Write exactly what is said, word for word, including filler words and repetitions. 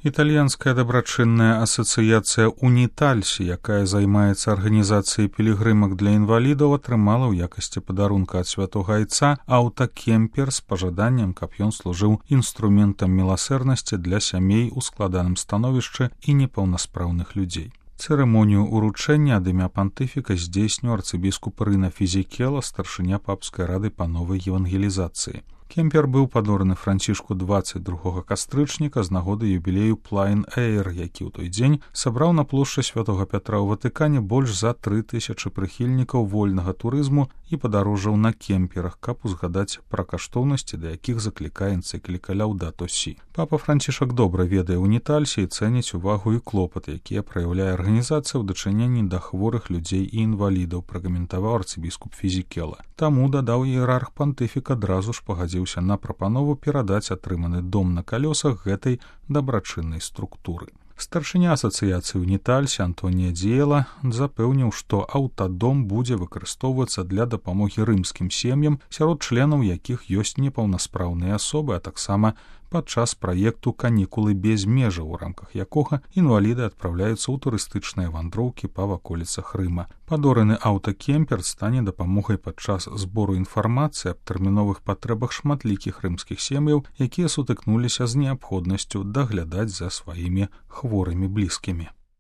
Італьянская дабрачынная асацыяцыя «Унітальсі», якая займаецца арганізацыяй пілігрымак для інвалідаў, атрымала ў якасці падарунка ад святога айца аўтакемпер з пажаданнем, каб ён служыў інструментам міласэрнасці для сямей у складаным становішчы і непаўнаспраўных людзей. Цырымонію ўручэння ад імя пантыфіка здзейсніў арцыбіскуп Рына Фізікела, старшыня папскай рады па новай евангелізацыі. Кемпер быў падораны Францішку дваццаць другога кастрычніка з нагоды юбілею Плайн Эйр, які ў той дзень сабраў на плошчы святога Пятра ў Ватыкане больш за тры тысячы прыхільнікаў вольнага турызму і падарожжаў на кемперах, каб узгадаць пра каштоўнасці, да якіх заклікае энцыкліка Лаўдато Сі. Папа Францішак добра ведае ўнітальсі і цэніць увагу і клопат, якія праяўляе арганізацыя ў дачыненні да хворых людзей і інвалідаў, пракаментаваў арцыбіскуп Фізікела. Таму, дадаў іерарх пантыфік, адразу ж пагадзіўся на прапанову перадаць атрыманы дом на калёсах гэтай дабрачыннай структуры. Старшыня асацыяцыі «Унітальсі» Антонія Дзіела запэўніў, што аўтадом будзе выкарыстоўвацца для дапамогі рымскім сем'ям, сярод членаў якіх ёсць непаўнаспраўныя асобы, а таксама падчас праекту «Канікулы без межаў», у рамках якога інваліды адпраўляюцца ў турыстычныя вандроўкі па ваколіцах Рыма. Падораны аўтакемпер стане дапамогай падчас збору інфармацыі аб тэрміновых патрэбах шматлікіх рымскіх сем'яў, якія сутыкнуліся з неабходнасцю даглядаць за сваімі хворымі блізкімі.